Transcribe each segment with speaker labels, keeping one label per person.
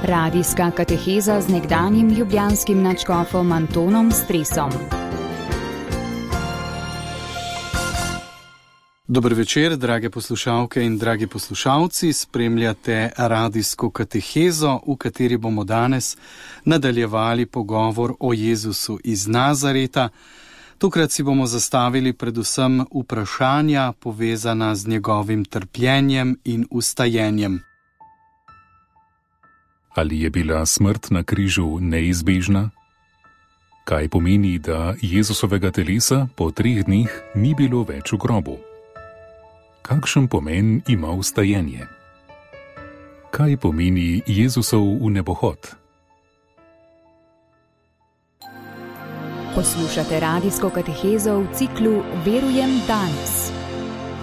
Speaker 1: Radijska kateheza z nekdanjim ljubljanskim nadškofom Antonom Stresom.
Speaker 2: Dober večer, drage poslušalke in dragi poslušalci. Spremljate radijsko katehezo, v kateri bomo danes nadaljevali pogovor o Jezusu iz Nazareta. Tokrat si bomo zastavili predvsem vprašanja povezana z njegovim trpljenjem in ustajenjem.
Speaker 3: Ali je bila smrt na križu neizbežna? Kaj pomeni, da Jezusovega telesa po 3 dneh ni bilo več v grobu? Kakšen pomen ima ustajenje? Kaj pomeni Jezusov vnebohod?
Speaker 1: Poslušate radijsko katehezo v ciklu Verujem danes.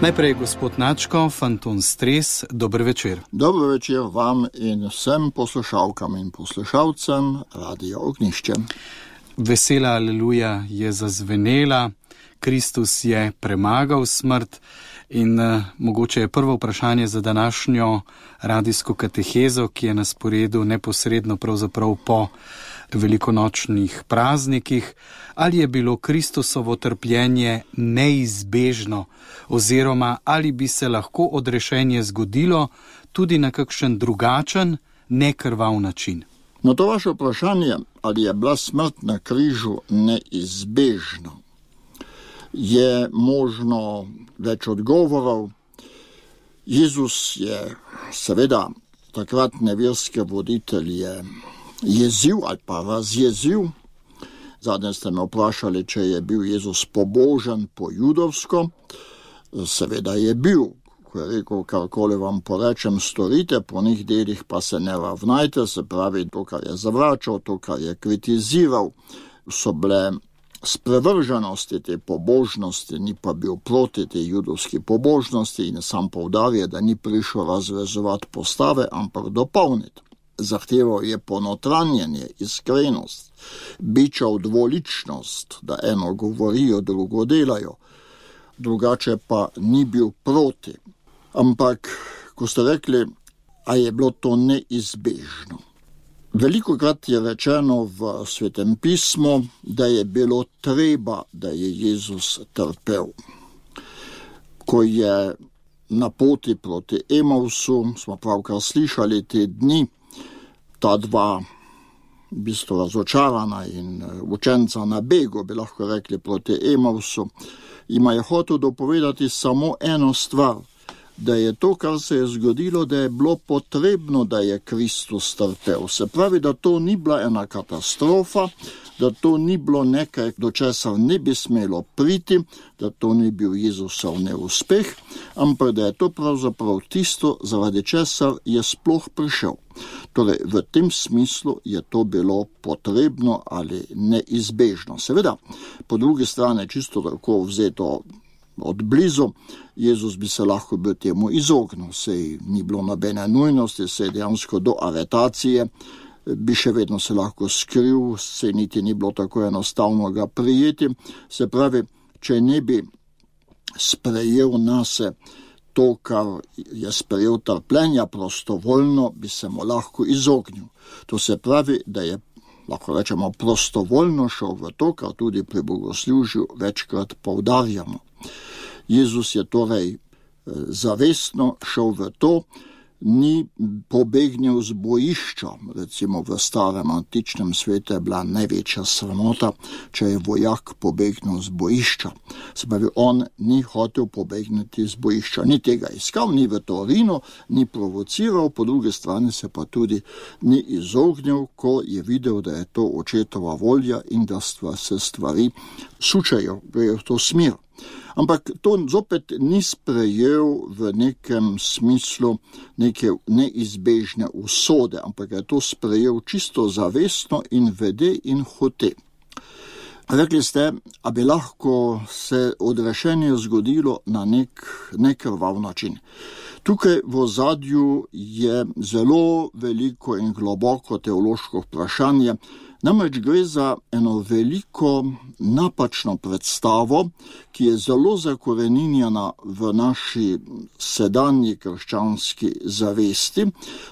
Speaker 2: Najprej gospod nadškof Anton Stres, dober večer.
Speaker 4: Dober večer vam in vsem poslušalkam in poslušalcem Radio Ognjišče.
Speaker 2: Vesela aleluja je zazvenela, Kristus je premagal smrt in mogoče je prvo vprašanje za današnjo radijsko katehezo, ki je na sporedu neposredno pravzaprav po velikonočnih praznikih, ali je bilo Kristusovo trpljenje neizbežno oziroma ali bi se lahko odrešenje zgodilo tudi na kakšen drugačen, nekrvav način.
Speaker 4: Na to vaše vprašanje, ali je bila smrt na križu neizbežna, je možno več odgovorov. Jezus je seveda takratne verske voditelje jezil ali pa razjezil. Zadnje ste me vprašali, če je bil Jezus pobožen po judovsko. Seveda je bil, ko je rekel, karkoli vam porečem, storite, po njih delih pa se ne ravnajte, se pravi, to, kar je zavračal, to, kar je kritiziral, so bile sprevrženosti te pobožnosti, ni pa bil proti te judovski pobožnosti in sam poudarja, da ni prišel razvezovati postave, ampak dopolniti. Zahteval je ponotranjenje, iskrenost, bičal dvoličnost, da eno govorijo, drugo delajo, drugače pa ni bil proti. Ampak, ko ste rekli, a je bilo to neizbežno. Velikokrat je rečeno v Svetem pismu, da je bilo treba, da je Jezus trpel. Ko je na poti proti Emausu, smo pravkar slišali te dni, ta dva v bistvu razočarana in učenca na begu, bi lahko rekli, proti Emausu, ima je hotel dopovedati samo eno stvar, da je to, kar se je zgodilo, da je bilo potrebno, da je Kristus trpel. Se pravi, da to ni bila ena katastrofa, da to ni bilo nekaj, do česar ne bi smelo priti, da to ni bil Jezusov neuspeh, ampak da je to pravzaprav tisto, zaradi česar je sploh prišel. Torej, v tem smislu je to bilo potrebno ali neizbežno. Seveda, po drugi strani, čisto tako vzeto od blizu, Jezus bi se lahko bil temu izognil, sej ni bilo nobene nujnosti, sej dejansko do aretacije bi še vedno se lahko skril, sej niti ni bilo tako enostavno ga prijeti. Se pravi, če ne bi sprejel nase to, kar je sprejel trpljenja prostovoljno, bi se mu lahko izognil. To se pravi, da je, lahko rečemo, prostovoljno šel v to, kar tudi pri bogoslužju večkrat poudarjamo. Jezus je torej zavestno šel v to, ni pobegnil z bojišča. Recimo v starem antičnem svetu je bila največja sramota, če je vojak pobegnil z bojišča. Se pravi, on ni hotel pobegniti z bojišča, ni tega iskal, ni v Torinu, ni provociral, po drugi strani se pa tudi ni izognil, ko je videl, da je to očetova volja in da se stvari sučejo, grejo v to smer. Ampak to zopet ni sprejel v nekem smislu neke neizbežne usode, ampak je to sprejel čisto zavestno in vede in hote. Rekli ste, a bi lahko se odrešenje zgodilo na nek nekrvav način. Tukaj v ozadju je zelo veliko in globoko teološko vprašanje, namreč gre za eno veliko napačno predstavo, ki je zelo zakoreninjena v naši sedanji krščanski zavesti,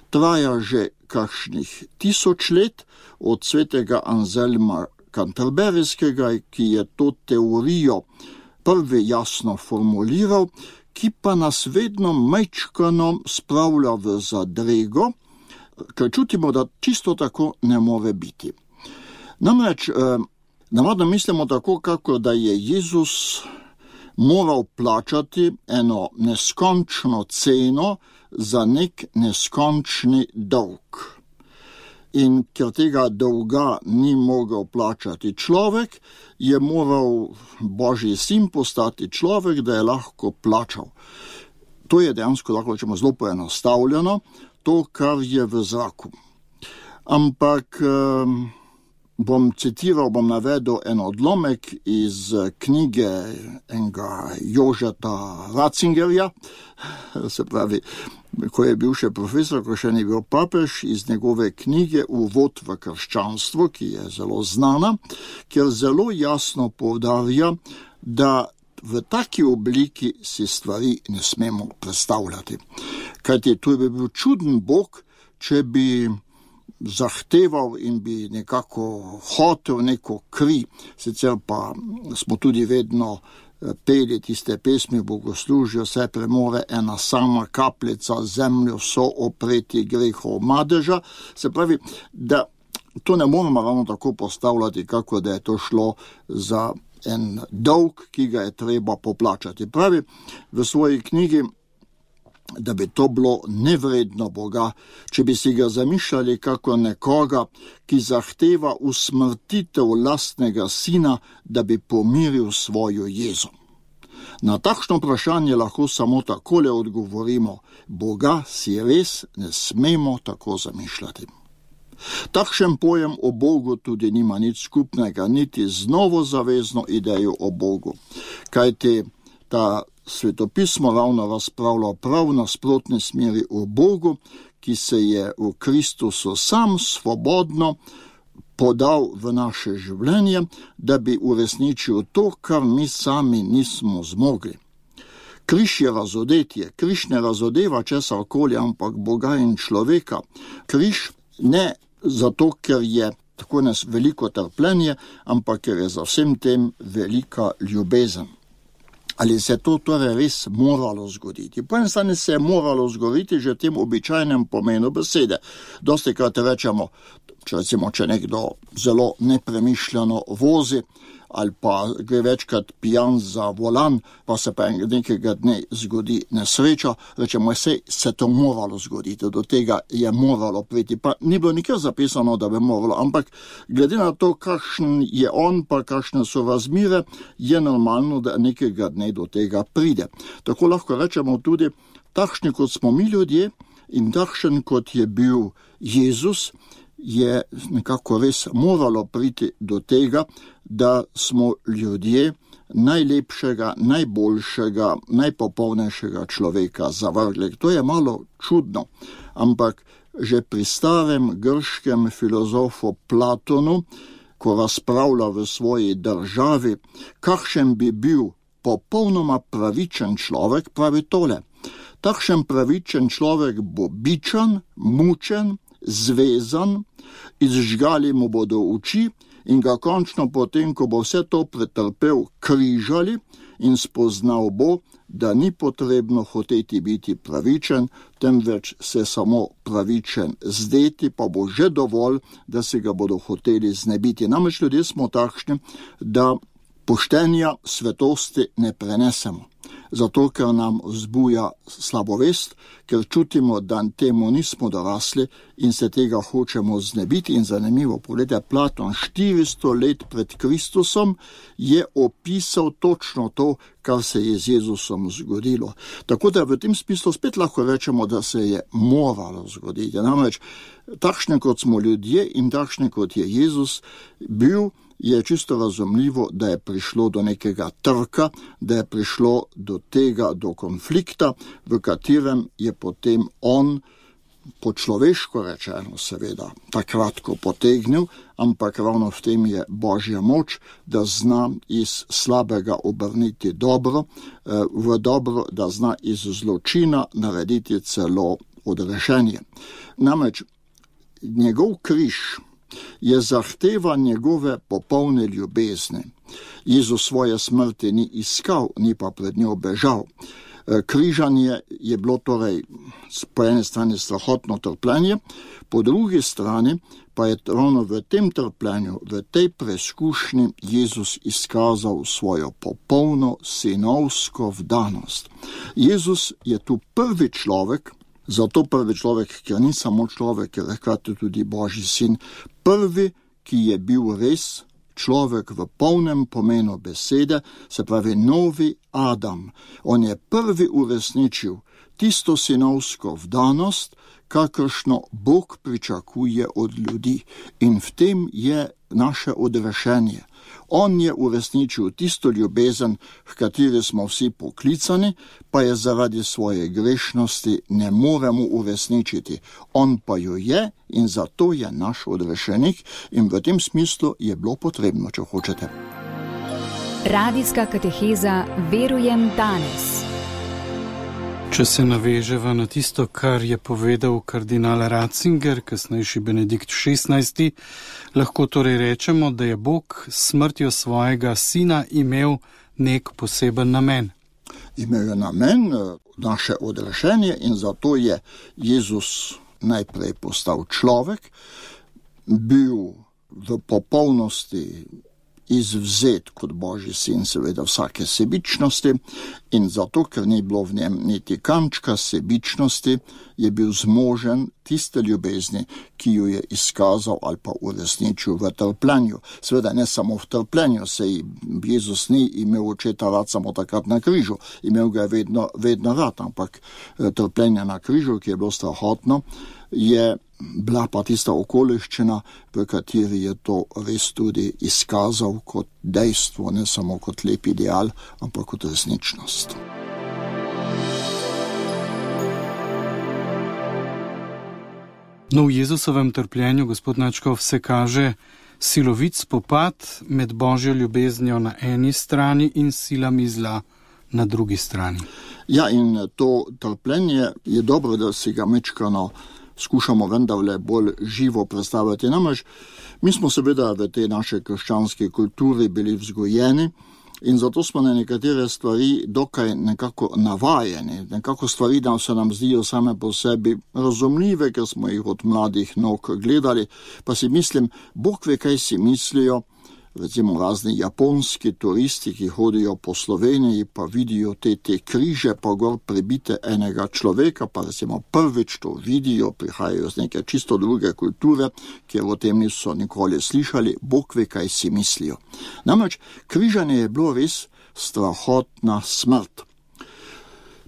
Speaker 4: traja že kakšnih 1000 let od svetega Anselma Canterburyskega, ki je to teorijo prvi jasno formuliral, ki pa nas vedno majčkano spravlja v zadrego, ker čutimo, da čisto tako ne more biti. Namreč, navadno mislimo tako, kako da je Jezus moral plačati eno neskončno ceno za nek neskončni dolg. In ker tega dolga ni mogel plačati človek, je moral Božji sin postati človek, da je lahko plačal. To je dejansko, lahko rečemo, zelo poenostavljeno, to, kar je v zraku. Ampak bom navedel en odlomek iz knjige enega Jožeta Ratzingerja, se pravi, ko je bil še profesor, ko še ni bil papež, iz njegove knjige Uvod v krščanstvo, ki je zelo znana, kjer zelo jasno poudarja, da v taki obliki si stvari ne smemo predstavljati. Kajti to bi bil čuden Bog, če bi zahteval in bi nekako hotel neko kri. Sicer pa smo tudi vedno peli tiste pesmi v bogoslužju, se premore ena sama kapljica, zemljo so opreti grehov madeža. Se pravi, da to ne moramo ravno tako postavljati, kako da je to šlo za en dolg, ki ga je treba poplačati. Pravi v svoji knjigi, da bi to bilo nevredno Boga, če bi si ga zamišljali kako nekoga, ki zahteva usmrtitev lastnega sina, da bi pomiril svojo jezo. Na takšno vprašanje lahko samo takole odgovorimo: Boga si res ne smemo tako zamišljati. Takšen pojem o Bogu tudi nima nič skupnega, niti z novozavezno idejo o Bogu, kajti ta svetopismo ravno razpravlja prav nasprotni smeri o Bogu, ki se je v Kristusu sam svobodno podal v naše življenje, da bi uresničil to, kar mi sami nismo zmogli. Križ je razodetje, križ ne razodeva česarkoli, ampak Boga in človeka. Križ ne zato, ker je tako veliko trpljenje, ampak ker je za vsem tem velika ljubezen. Ali se to torej res moralo zgoditi? Po eni strani se je moralo zgoditi že v tem običajnem pomenu besede. Dostikrat rečemo, če nekdo zelo nepremišljeno vozi ali pa gre večkrat pijan za volan, pa se pa nekega dne zgodi nesreča, rečemo, se to moralo zgoditi, do tega je moralo priti. Pa ni bilo nikjer zapisano, da bi moralo, ampak glede na to, kakšen je on, pa kakšne so razmere, je normalno, da nekega dne do tega pride. Tako lahko rečemo tudi, takšni kot smo mi ljudje in takšen kot je bil Jezus, je nekako res moralo priti do tega, da smo ljudje najlepšega, najboljšega, najpopolnejšega človeka zavrgli. To je malo čudno, ampak že pri starem grškem filozofu Platonu, ko razpravlja v svoji državi, kakšen bi bil popolnoma pravičen človek, pravi tole: takšen pravičen človek bo bičan, mučen, zvezan, izžgali mu bodo oči in ga končno potem, ko bo vse to pretrpel, križali in spoznal bo, da ni potrebno hoteti biti pravičen, temveč se samo pravičen zdeti, pa bo že dovolj, da se ga bodo hoteli znebiti. Namreč ljudje smo takšni, da poštenja, svetosti ne prenesemo. Zato, ker nam vzbuja slabovest, ker čutimo, da temu nismo dorasli in se tega hočemo znebiti. In zanimivo, pogledajte, Platon 400 let pred Kristusom je opisal točno to, kar se je z Jezusom zgodilo. Tako da v tem smislu spet lahko rečemo, da se je moralo zgoditi. Namreč, takšne kot smo ljudje in takšne kot je Jezus bil, je čisto razumljivo, da je prišlo do nekega trka, da je prišlo do tega, do konflikta, v katerem je potem on, po človeško rečeno seveda, takrat ko potegnil, ampak ravno v tem je Božja moč, da zna iz slabega obrniti dobro, v dobro, da zna iz zločina narediti celo odrešenje. Namreč, njegov križ je zahteva njegove popolne ljubezni. Jezus svoje smrti ni iskal, ni pa pred njo bežal. Križanje je bilo torej po eni strani strahotno trpljenje, po drugi strani pa je ravno v tem trpljenju, v tej preizkušnji Jezus izkazal svojo popolno sinovsko vdanost. Jezus je tu prvi človek, zato prvi človek, ker ni samo človek, ker je hkrati tudi Božji sin, prvi, ki je bil res človek v polnem pomenu besede, se pravi novi Adam. On je prvi uresničil tisto sinovsko vdanost, kakršno Bog pričakuje od ljudi. In v tem je naše odrešenje. On je uresničil tisto ljubezen, v kateri smo vsi poklicani, pa je zaradi svoje grešnosti ne moremo uresničiti. On pa jo je in zato je naš odrešenik in v tem smislu je bilo potrebno, če hočete.
Speaker 1: Radijska kateheza Verujem danes.
Speaker 2: Če se naveževa na tisto, kar je povedal kardinal Ratzinger, kasnejši Benedikt XVI, lahko torej rečemo, da je Bog s smrtjo svojega sina imel nek poseben namen.
Speaker 4: Imel je namen naše odrešenje in zato je Jezus najprej postal človek, bil v popolnosti izvzet kot Božji sin, seveda vsake sebičnosti, in zato, ker ni bilo v njem niti kančka sebičnosti, je bil zmožen tiste ljubezni, ki jo je izkazal ali pa uresničil v trpljenju. Seveda ne samo v trpljenju, saj Jezus ni imel očeta rad samo takrat na križu, imel ga je vedno rad, ampak trpljenje na križu, ki je bilo strahotno, je bila pa tista okoliščina, v kateri je to res tudi izkazal kot dejstvo, ne samo kot lep ideal, ampak kot resničnost.
Speaker 2: No, v Jezusovem trpljenju, gospod Načkov, se kaže silovit spopad med Božjo ljubeznijo na eni strani in silami zla na drugi strani.
Speaker 4: Ja, in to trpljenje je dobro, da si ga mečkano skušamo vendarle bolj živo predstavljati. Namreč, mi smo seveda v tej naše krščanski kulturi bili vzgojeni in zato smo na nekatere stvari dokaj nekako navajeni. Nekako stvari da se nam zdijo same po sebi razumljive, ker smo jih od mladih nog gledali, pa si mislim, Bog ve, kaj si mislijo, recimo razni japonski turisti, ki hodijo po Sloveniji, pa vidijo te križe, pa gor prebite enega človeka, pa recimo prvič to vidijo, prihajajo z neke čisto druge kulture, kjer o tem niso nikoli slišali, Bog ve, kaj si mislijo. Namreč, križanje je bilo res strahotna smrt.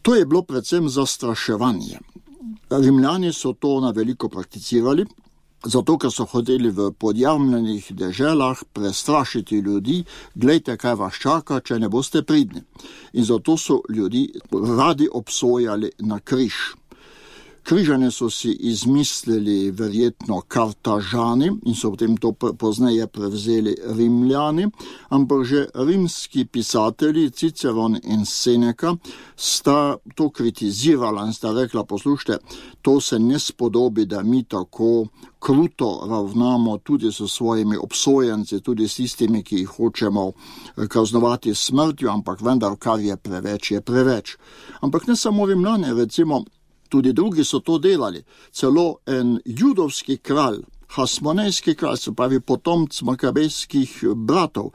Speaker 4: To je bilo predvsem zastraševanje. Rimljani so to na veliko prakticirali, zato, ker so hoteli v podjamljenih deželah prestrašiti ljudi, glejte, kaj vas čaka, če ne boste pridni. In zato so ljudi radi obsojali na križ. Križanje so si izmislili verjetno Kartažani in so potem to pozneje prevzeli Rimljani, ampak že rimski pisatelji Ciceron in Seneca sta to kritizirala in sta rekla, poslušajte, to se ne spodobi, da mi tako kruto ravnamo tudi s svojimi obsojenci, tudi s tistimi, ki jih hočemo kaznovati s smrtjo, ampak vendar, kar je preveč, je preveč. Ampak ne samo Rimljani, recimo, tudi drugi so to delali. Celo en judovski kralj, Hasmonejski kralj, se pravi potomc makabejskih bratov,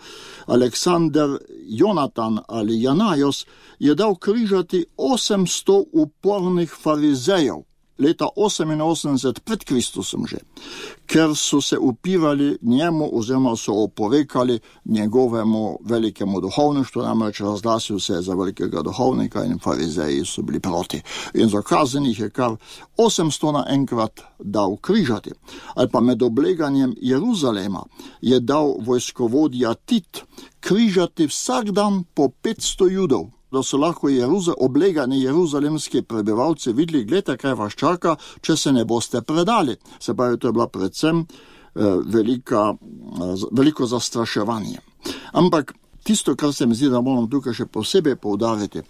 Speaker 4: Aleksandar Jonatan ali Janajos, je dal križati 800 upornih farizejev, leta 88 pred Kristusom že, ker so se upirali njemu oziroma so oporekali njegovemu velikemu duhovništvu, namreč razglasil se za velikega duhovnika in farizeji so bili proti. In za kazenih je kar 800 naenkrat dal križati. Ali pa med obleganjem Jeruzalema je dal vojskovodja Tit križati vsak dan po 500 judov, da so lahko oblegani jeruzalemski prebivalci videli, gledajte, kaj vas čaka, če se ne boste predali. Se pravi, to je bila predvsem veliko zastraševanje. Ampak tisto, kar se mi zdi, da moram tukaj še posebej poudariti,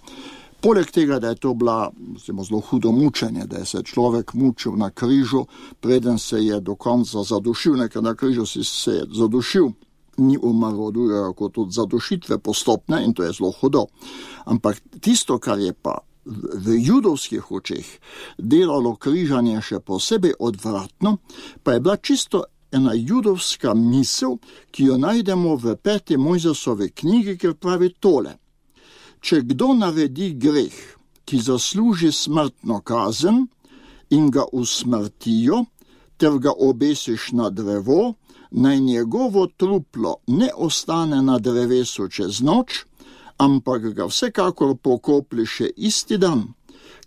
Speaker 4: Poleg tega, da je to bila zelo hudo mučenje, da je se človek mučil na križu, preden se je do konca zadušil, nekaj na križu si se je zadušil, ni umrl od drugega kot od zadušitve postopne in to je zelo hudo. Ampak tisto, kar je pa v judovskih očeh delalo križanje še posebej odvratno, pa je bila čisto ena judovska misel, ki jo najdemo v 5. Mojzesove knjigi, kjer pravi tole. Če kdo naredi greh, ki zasluži smrtno kazen in ga usmrtijo, ter ga obesiš na drevo, naj njegovo truplo ne ostane na drevesu čez noč, ampak ga vsekakor pokopli še isti dan,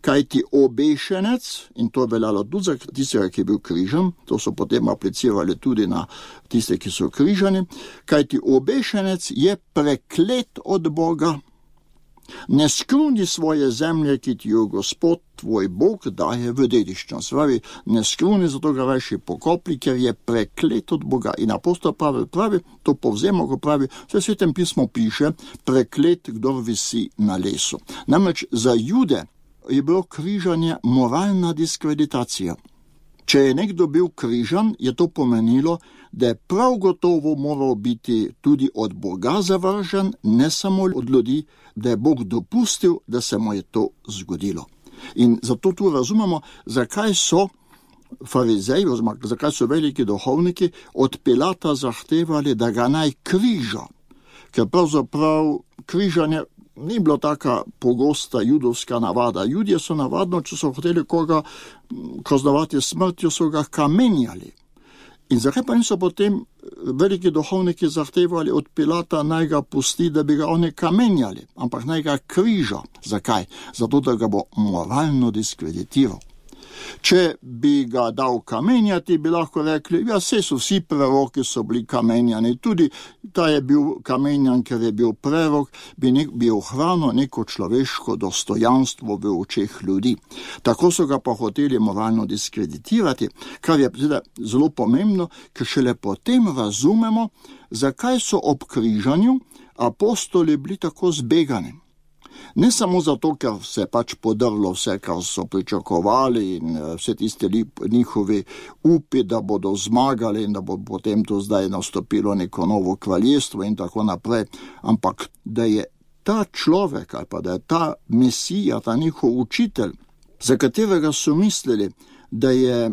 Speaker 4: kajti obešenec, in to je veljalo tudi za tistega, ki je bil križan, to so potem aplicirali tudi na tiste, ki so križani, kajti obešenec je preklet od Boga. Ne skruni svoje zemlje, ki ti jo Gospod, tvoj Bog, daje v dediščino. Ne skruni, zato ga rajši pokopli, ker je preklet od Boga. In apostol Pavel pravi, to povzemo, ko pravi, v Svetem pismu piše, preklet, kdor visi na lesu. Namreč za Jude je bilo križanje moralna diskreditacija. Če je nekdo bil križan, je to pomenilo, da je prav gotovo moral biti tudi od Boga zavržen, ne samo od ljudi, da je Bog dopustil, da se mu je to zgodilo. In zato tu razumemo, zakaj so farizeji, oziroma zakaj so veliki duhovniki od Pilata zahtevali, da ga naj križa. Ker pravzaprav križanje ni bilo taka pogosta judovska navada. Judje so navadno, če so hoteli koga kaznovati smrtjo, so ga kamenjali. In zakaj pa niso potem veliki duhovniki zahtevali od Pilata, naj ga pusti, da bi ga oni kamenjali, ampak naj ga križa. Zakaj? Zato, da ga bo moralno diskreditiral. Če bi ga dal kamenjati, bi lahko rekli, ja, saj so vsi preroki so bili kamenjani, tudi ta je bil kamenjan, ker je bil prerok, bi ohranil neko človeško dostojanstvo v očeh ljudi. Tako so ga pa hoteli moralno diskreditirati, kar je zelo pomembno, ker šele potem razumemo, zakaj so ob križanju apostoli bili tako zbegani. Ne samo zato, ker se pač podrlo vse, kar so pričakovali in vse tiste njihovi upi, da bodo zmagali in da bo potem to zdaj nastopilo neko novo kraljestvo in tako naprej, ampak da je ta človek ali pa da je ta Mesija, ta njihov učitelj, za katerega so mislili, da je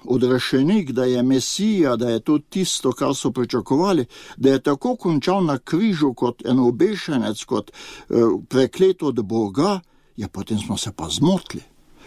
Speaker 4: odrešenik, da je Mesija, da je to tisto, kar so pričakovali, da je tako končal na križu kot en obešenec, kot preklet od Boga, ja, potem smo se pa zmotili.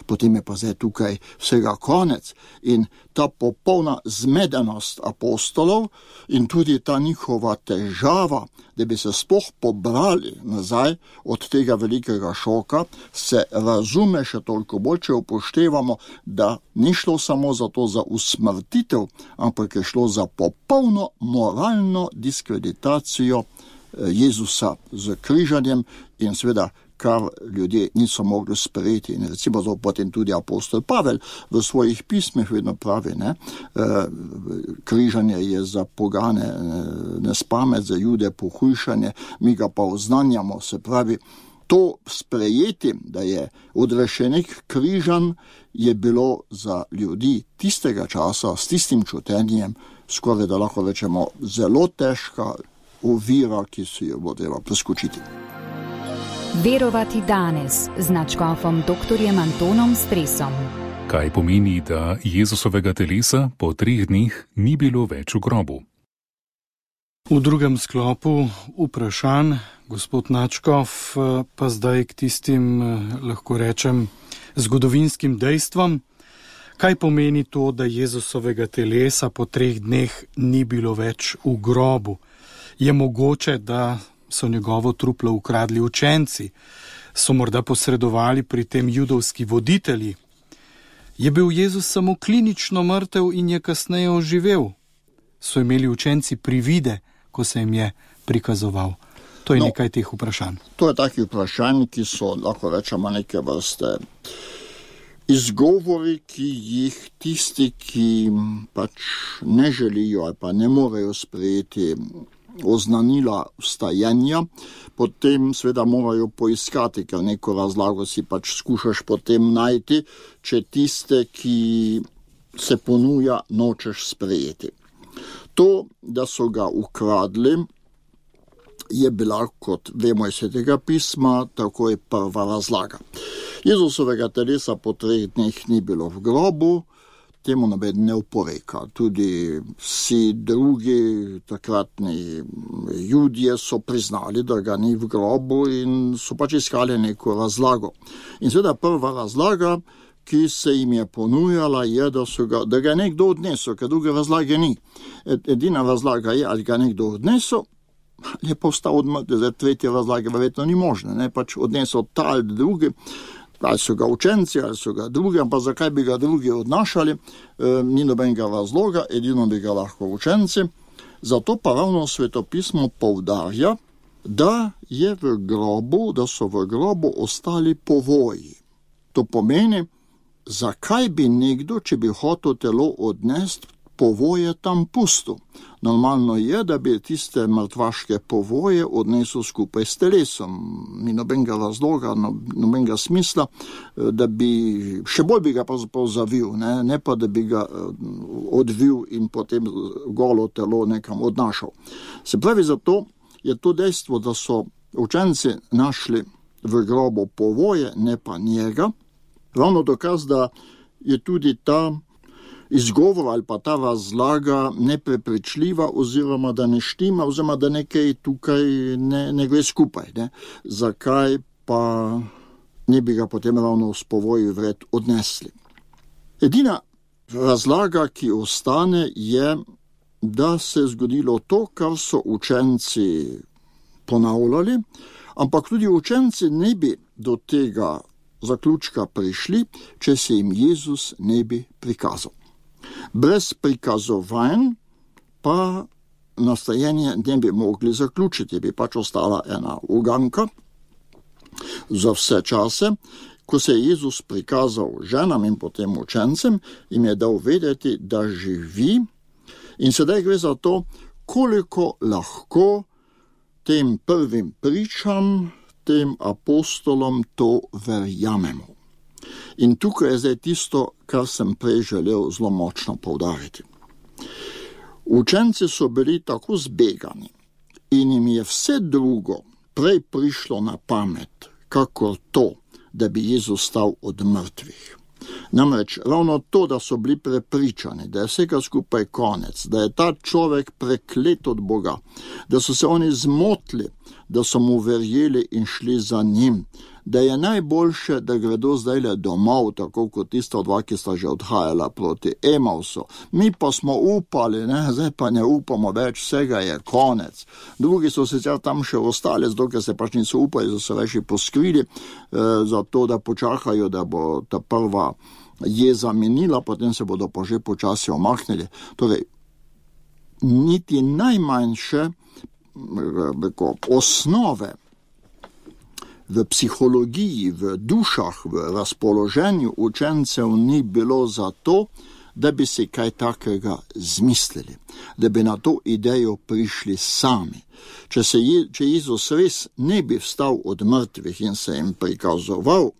Speaker 4: Potem je pa zdaj tukaj vsega konec in ta popolna zmedenost apostolov in tudi ta njihova težava, da bi se sploh pobrali nazaj od tega velikega šoka, se razume še toliko bolj, če upoštevamo, da ni šlo samo za to za usmrtitev, ampak je šlo za popolno moralno diskreditacijo Jezusa z križanjem in seveda kar ljudje niso mogli sprejeti. In recimo potem tudi apostol Pavel v svojih pismih vedno pravi, križanje je za pogane nespamet, za Jude pohujšanje, mi ga pa oznanjamo, se pravi, to sprejeti, da je odrešenik križan, je bilo za ljudi tistega časa s tistim čutenjem, skoraj da lahko rečemo, zelo težka ovira, ki si jo bo treba preskočiti.
Speaker 1: Verovati danes z nadškofom dr. Antonom Stresom.
Speaker 3: Kaj pomeni, da Jezusovega telesa po 3 dneh ni bilo več v grobu?
Speaker 2: V drugem sklopu vprašanj, gospod nadškof, pa zdaj k tistim, lahko rečem, zgodovinskim dejstvom. Kaj pomeni to, da Jezusovega telesa po 3 dneh ni bilo več v grobu? Je mogoče, da so njegovo truplo ukradli učenci, so morda posredovali pri tem judovski voditelji. Je bil Jezus samo klinično mrtev in je kasneje oživel? So imeli učenci privide, ko se jim je prikazoval? To je nekaj teh vprašanj.
Speaker 4: To je takih vprašanj, ki so, lahko rečemo, neke vrste izgovori, ki jih tisti, ki pač ne želijo ali pa ne morejo sprejeti oznanila vstajanja, potem seveda morajo poiskati, ker neko razlago si pač skušaš potem najti, če tiste, ki se ponuja, nočeš sprejeti. To, da so ga ukradli, je bila, kot vemo iz Svetega pisma, tako je prva razlaga. Jezusovega telesa po 3 dneh ni bilo v grobu, temu noben ne oporeka. Tudi vsi drugi takratni Judje so priznali, da ga ni v grobu in so pač iskali neko razlago. In seveda prva razlaga, ki se jim je ponujala, je, da ga je nekdo odnesel, ker druge razlage ni. Edina razlaga je, ali ga nekdo odnesel, je pa vstal od mrtvih. Zdaj tretje razlage verjetno ni možne, ne, pač odnesel ta ali drugi, ali so ga učenci, ali so ga drugi, ampak zakaj bi ga drugi odnašali, ni nobenega razloga, edino bi ga lahko učenci. Zato pa ravno Svetopismo poudarja, da so v grobu ostali povoji. To pomeni, zakaj bi nekdo, če bi hotel telo odnesti, povoje tam pustil. Normalno je, da bi tiste mrtvaške povoje odnesel skupaj s telesom. Ni nobenega razloga, nobenega smisla, da bi, še bolj bi ga pravzaprav zavil, ne pa da bi ga odvil in potem golo telo nekam odnašal. Se pravi, zato je to dejstvo, da so učenci našli v grobu povoje, ne pa njega, ravno dokaz, da je tudi ta izgovor ali pa ta razlaga neprepričljiva oziroma da ne štima oziroma da nekaj tukaj ne gre skupaj. Ne? Zakaj pa ne bi ga potem ravno s povoji vred odnesli? Edina razlaga, ki ostane, je, da se je zgodilo to, kar so učenci ponavljali, ampak tudi učenci ne bi do tega zaključka prišli, če se jim Jezus ne bi prikazal. Brez prikazovanj pa nastajanje ne bi mogli zaključiti, bi pač ostala ena uganka za vse čase. Ko se je Jezus prikazal ženam in potem učencem, jim je dal vedeti, da živi, in sedaj gre za to, koliko lahko tem prvim pričam, tem apostolom to verjamemo. In tukaj je zdaj tisto, kar sem prej želel zelo močno poudariti. Učenci so bili tako zbegani in jim je vse drugo prej prišlo na pamet, kakor to, da bi Jezus stal od mrtvih. Namreč ravno to, da so bili prepričani, da je vsega skupaj konec, da je ta človek preklet od Boga, da so se oni zmotili, da so mu verjeli in šli za njim, da je najboljše, da gredo zdajle domov, tako kot tista dva, ki sta že odhajala proti Emausu. Mi pa smo upali, zdaj pa ne upamo več, vsega je konec. Drugi so sicer tam še ostali, dokaj se pač niso upali, da so več poskrili, zato da počakajo, da bo ta prva jeza minila, potem se bodo pa že počasi omaknili. Torej, niti najmanjše osnove v psihologiji, v dušah, v razpoloženju učencev ni bilo za to, da bi si kaj takega zmislili, da bi na to idejo prišli sami. Če Jezus res ne bi vstal od mrtvih in se jim prikazoval,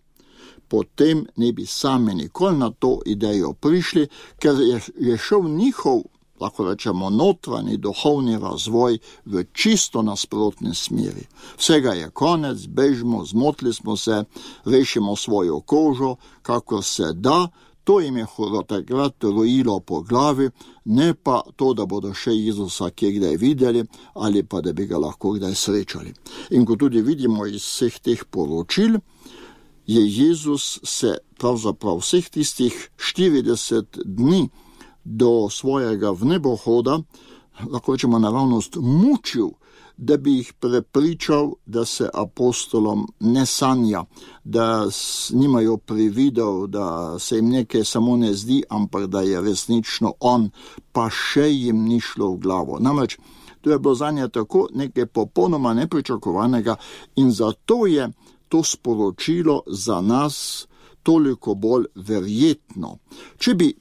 Speaker 4: potem ne bi sami nikoli na to idejo prišli, ker je šel njihov, lahko rečemo, notranji duhovni razvoj v čisto nasprotni smeri. Vsega je konec, bežimo, zmotili smo se, rešimo svojo kožo, kakor se da. To jim je takrat rojilo po glavi, ne pa to, da bodo še Jezusa kje kdaj videli ali pa da bi ga lahko kdaj srečali. In ko tudi vidimo iz vseh teh poročil, je Jezus se pravzaprav vseh tistih 40 dni do svojega vnebohoda, lahko rečemo naravnost, mučil, da bi jih prepričal, da se apostolom ne sanja, da nimajo prividov, da se jim nekaj samo ne zdi, ampak da je resnično on, pa še jim ni šlo v glavo. Namreč, to je bilo zanje tako nekaj popolnoma nepričakovanega in zato je to sporočilo za nas toliko bolj verjetno. Če bi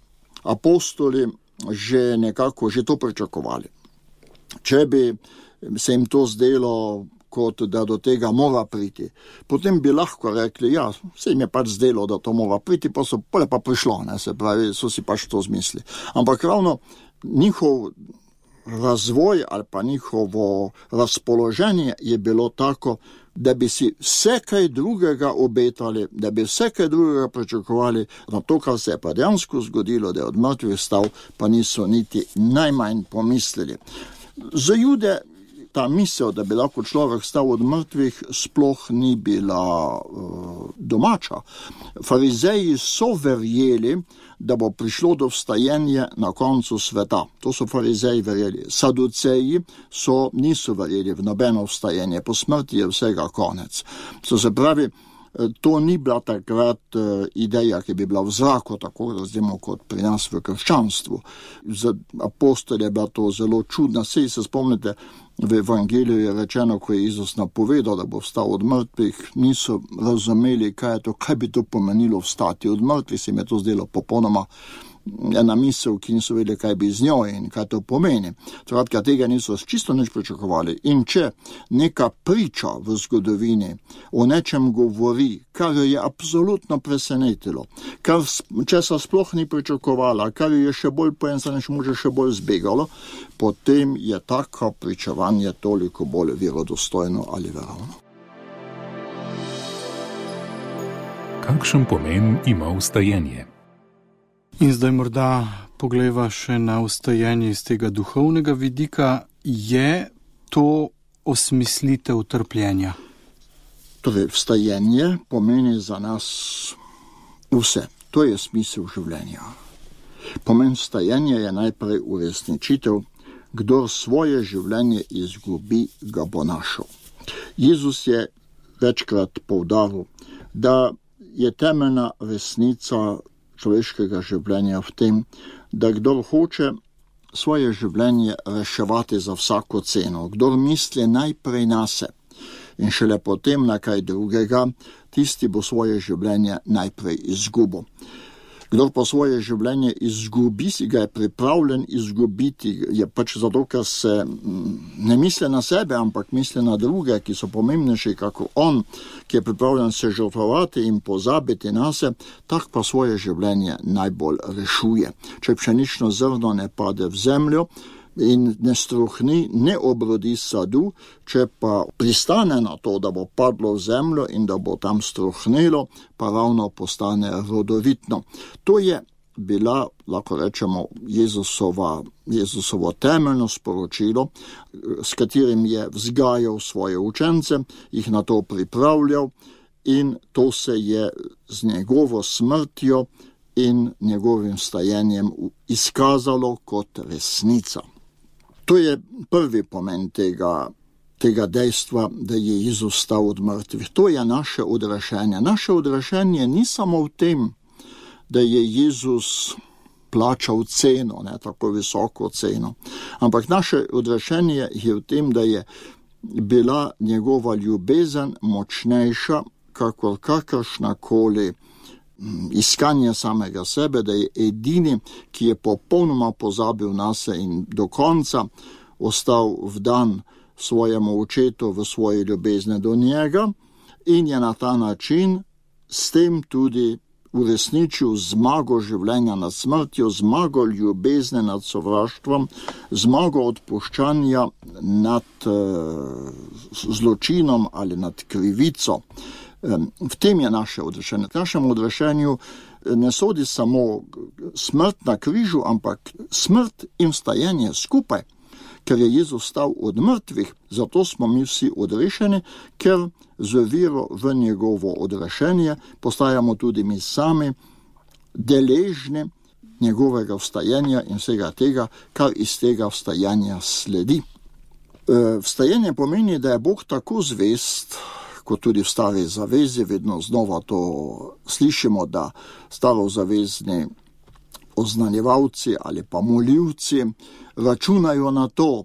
Speaker 4: apostoli že to pričakovali, Če bi se jim to zdelo, kot da do tega mora priti, potem bi lahko rekli, ja, se jim je pač zdelo, da to mora priti, pa so pa prišlo, ne, se pravi, so si pač to zmislili. Ampak ravno njihov razvoj ali pa njihovo razpoloženje je bilo tako, da bi si vse kaj drugega obetali, da bi vse kaj drugega pričakovali, na to, kar se je pa dejansko zgodilo, da je od mrtvih vstal, pa niso niti najmanj pomislili. Za Jude ta misel, da bi lahko človek stal od mrtvih, sploh ni bila domača. Farizeji so verjeli, da bo prišlo do vstajenja na koncu sveta. To so farizeji verjeli. Saduceji niso verjeli v nobeno vstajenje. Po smrti je vsega konec. To se pravi, to ni bila takrat ideja, ki bi bila v zraku, tako razumemo kot pri nas v krščanstvu. Za apostole je bila to zelo čudna. Sej se spomnite, v evangeliju je rečeno, ko je Jezus napovedal, da bo vstal od mrtvih, niso razumeli, kaj bi to pomenilo vstati od mrtvih, se jim je to zdelo popolnoma ena misel, ki niso vedeli, kaj bi z njo in kaj to pomeni. Skratka, tega niso čisto nič pričakovali. In če neka priča v zgodovini o nečem govori, kar jo je absolutno presenetilo, kar česa sploh ni pričakovala, kar jo je še bolj še bolj zbegalo, potem je tako pričevanje toliko bolj verodostojno ali verovno.
Speaker 3: Kakšen pomen ima vstajenje?
Speaker 2: In zdaj morda poglejva še na vstajenje iz tega duhovnega vidika. Je to osmislitev trpljenja?
Speaker 4: Torej, vstajenje pomeni za nas vse. To je smisel življenja. Pomen vstajenja je najprej uresničitev, kdor svoje življenje izgubi, ga bo našel. Jezus je večkrat poudaril, da je temeljna resnica človeškega življenja v tem, da kdor hoče svoje življenje reševati za vsako ceno, kdor misli najprej nase in šele potem na kaj drugega, tisti bo svoje življenje najprej izgubil. Kdor pa svoje življenje izgubi, si ga je pripravljen izgubiti, je pač zato, ker se ne misli na sebe, ampak misli na druge, ki so pomembnejši kako on, ki je pripravljen se žrtvovati in pozabiti na se, tak pa svoje življenje najbolj rešuje. Če pšenično zrno ne pade v zemljo in ne struhni, ne obrodi sadu, če pa pristane na to, da bo padlo v zemljo in da bo tam struhnilo, pa ravno postane rodovitno. To je bila, lahko rečemo, Jezusovo temeljno sporočilo, s katerim je vzgajal svoje učence, jih na to pripravljal in to se je z njegovo smrtjo in njegovim vstajenjem izkazalo kot resnica. To je prvi pomen tega dejstva, da je Jezus vstal od mrtvih. To je naše odrešenje. Naše odrešenje ni samo v tem, da je Jezus plačal ceno, ne, tako visoko ceno, ampak naše odrešenje je v tem, da je bila njegova ljubezen močnejša, kakor kakršnakoli iskanje samega sebe, da je edini, ki je popolnoma pozabil nase in do konca ostal vdan svojemu očetu v svoji ljubezni do njega in je na ta način s tem tudi uresničil zmago življenja nad smrtjo, zmago ljubezni nad sovraštvom, zmago odpuščanja nad zločinom ali nad krivico. V tem je naše odrešenje. V našem odrešenju ne sodi samo smrt na križu, ampak smrt in vstajenje skupaj, ker je Jezus vstal od mrtvih, zato smo mi vsi odrešeni, ker z vero v njegovo odrešenje postajamo tudi mi sami deležni njegovega vstajenja in vsega tega, kar iz tega vstajanja sledi. Vstajenje pomeni, da je Bog tako zvest, kot tudi v Stari zavezi, vedno znova to slišimo, da starozavezni oznanjevalci ali pa molilci računajo na to,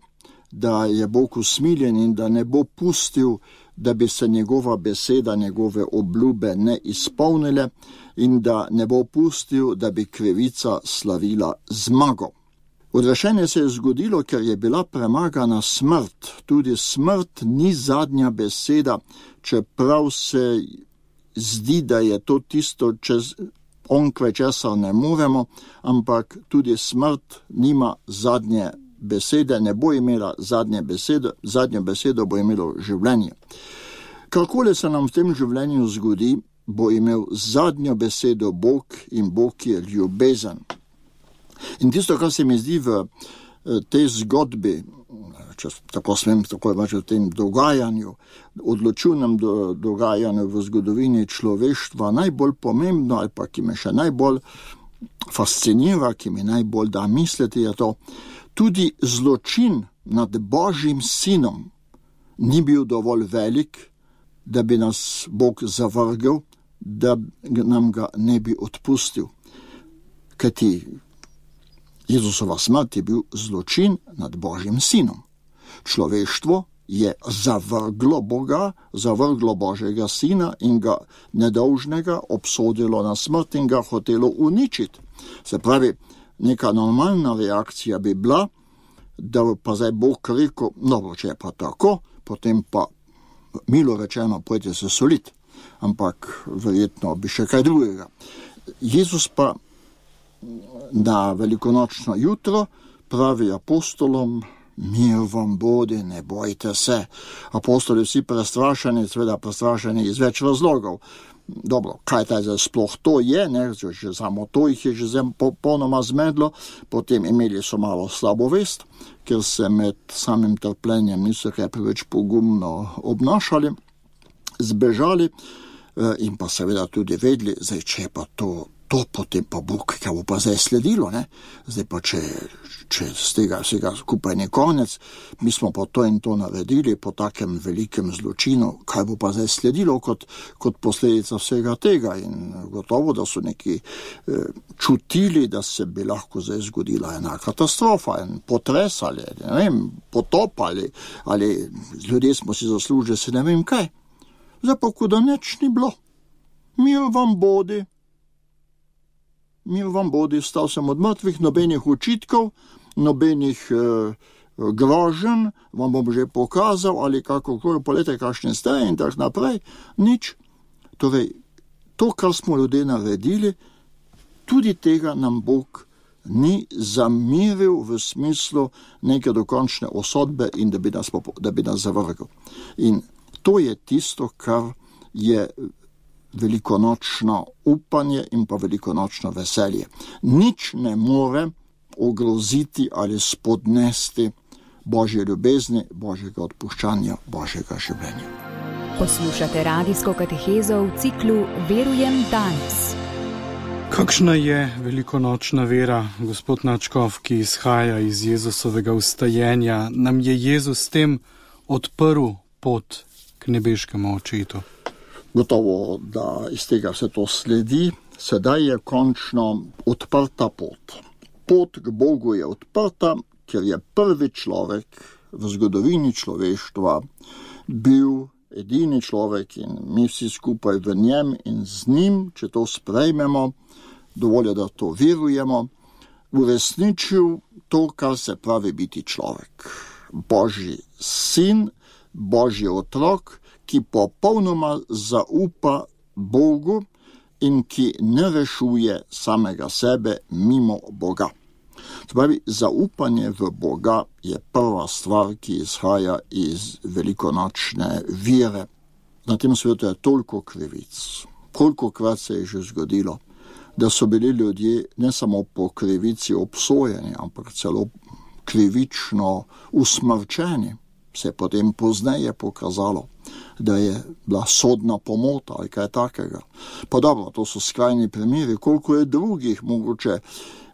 Speaker 4: da je Bog usmiljen in da ne bo pustil, da bi se njegova beseda, njegove obljube ne izpolnile in da ne bo pustil, da bi krivica slavila zmago. Odrešenje se je zgodilo, ker je bila premagana smrt. Tudi smrt ni zadnja beseda, čeprav se zdi, da je to tisto, onkraj česar ne moremo, ampak tudi smrt nima zadnje besede, ne bo imela zadnje besede, zadnjo besedo bo imelo življenje. Karkoli se nam v tem življenju zgodi, bo imel zadnjo besedo Bog in Bog je ljubezen. In tisto, kar se mi zdi v tej zgodbi, če tako smem tako reči, v tem dogajanju, odločilnem dogajanju v zgodovini človeštva, najbolj pomembno ali pa ki me še najbolj fascinira, ki mi najbolj da misliti, je to, tudi zločin nad Božjim sinom ni bil dovolj velik, da bi nas Bog zavrgel, da nam ga ne bi odpustil. Kajti Jezusova smrt je bil zločin nad Božjim sinom. Človeštvo je zavrglo Boga, zavrglo Božjega sina in ga nedolžnega obsodilo na smrt in ga hotelo uničiti. Se pravi, neka normalna reakcija bi bila, da pa zdaj Bog rekel, če je pa tako, potem pa milo rečeno, pojďte se soliti. Ampak verjetno bi še kaj drugega. Jezus pa na velikonočno jutro pravi apostolom, mir vam bodi, ne bojte se. Apostoli vsi prestrašeni, seveda prestrašeni iz več razlogov. Dobro, kaj taj zdaj sploh to je, ne? Že samo to jih je že popolnoma zmedlo, potem imeli so malo slabo vest, ker se med samim trpljenjem niso kaj preveč pogumno obnašali, zbežali in pa seveda tudi vedeli, zdaj če je pa to potem pa Bog, kaj bo pa zdaj sledilo, ne? Zdaj pa če z tega vsega skupaj ni konec, mi smo pa to in to naredili po takem velikem zločinu, kaj bo pa zdaj sledilo kot posledica vsega tega in gotovo, da so neki čutili, da se bi lahko zdaj zgodila ena katastrofa, en potres ali, ne vem, potop ali ljudje smo si zaslužili se ne vem kaj. Zdaj pa, ko da nič ni bilo. Mir vam bodi, vstal sem od mrtvih, nobenih očitkov, nobenih groženj, vam bom že pokazal, ali kakokoli, polete kakšne ste in tak naprej, nič. Torej, to, kar smo ljudje naredili, tudi tega nam Bog ni zamiril v smislu neke dokončne osodbe in da bi nas zavrgel. In to je tisto, kar je velikonočno upanje in pa velikonočno veselje. Nič ne more ogroziti ali spodnesti Božje ljubezni, Božjega odpuščanja, Božjega življenja.
Speaker 1: Poslušate radijsko katehezo v ciklu Verujem danes.
Speaker 2: Kakšna je velikonočna vera, gospod Nadškof, ki izhaja iz Jezusovega vstajenja? Nam je Jezus s tem odprl pot k nebeškemu očetu?
Speaker 4: Gotovo, da iz tega vse to sledi. Sedaj je končno odprta pot. Pot k Bogu je odprta, ker je prvi človek v zgodovini človeštva bil edini človek in mi vsi skupaj v njem in z njim, če to sprejmemo, dovolj, da to verujemo, uresničil to, kar se pravi biti človek. Božji sin, Božji otrok, ki popolnoma zaupa Bogu in ki ne rešuje samega sebe mimo Boga. Spravi, zaupanje v Boga je prva stvar, ki izhaja iz velikonočne vere. Na tem svetu je toliko krivic. Kolikokrat se je že zgodilo, da so bili ljudje ne samo po krivici obsojeni, ampak celo krivično usmrčeni. Se je potem pozneje pokazalo, da je bila sodna pomota ali kaj takega. Pa dobro, to so skrajni primeri, koliko je drugih, mogoče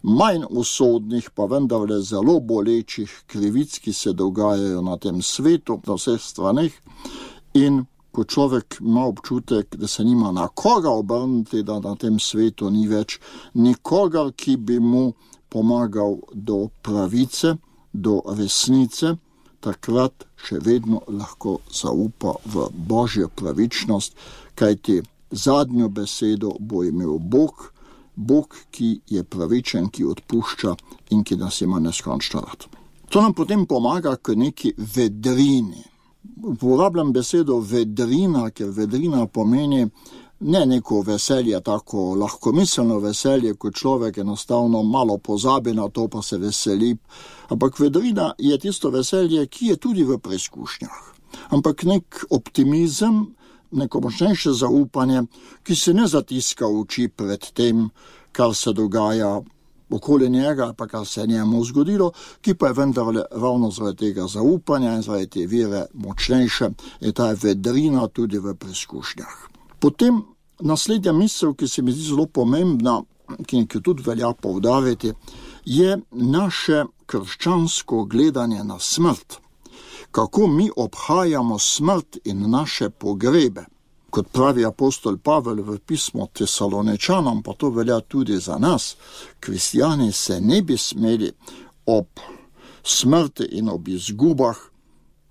Speaker 4: manj usodnih, pa vendarle zelo bolečih krivic, ki se dogajajo na tem svetu, na vseh straneh. In ko človek ima občutek, da se nima na koga obrniti, da na tem svetu ni več nikogar, ki bi mu pomagal do pravice, do resnice, takrat še vedno lahko zaupa v Božjo pravičnost, kajti zadnjo besedo bo imel Bog Bog, ki je pravičen, ki odpušča in ki nas ima neskončno rad. To nam potem pomaga k neki vedrini. Uporabljam besedo vedrina, ker vedrina pomeni ne neko veselje, tako lahkomiselno veselje, ko človek enostavno malo pozabi na to, pa se veseli. Ampak vedrina je tisto veselje, ki je tudi v preizkušnjah. Ampak nek optimizem, neko močnejše zaupanje, ki se ne zatiska oči pred tem, kar se dogaja okoli njega, pa kar se je njemu zgodilo, ki pa je vendarle ravno zaradi tega zaupanja in zaradi te vere močnejše, je ta vedrina tudi v preizkušnjah. Potem naslednja misel, ki se mi zdi zelo pomembna, ki jo tudi velja poudariti, je naše krščansko gledanje na smrt. Kako mi obhajamo smrt in naše pogrebe. Kot pravi apostol Pavel v pismu Tesaloničanom, pa to velja tudi za nas, kristjani se ne bi smeli ob smrti in ob izgubah,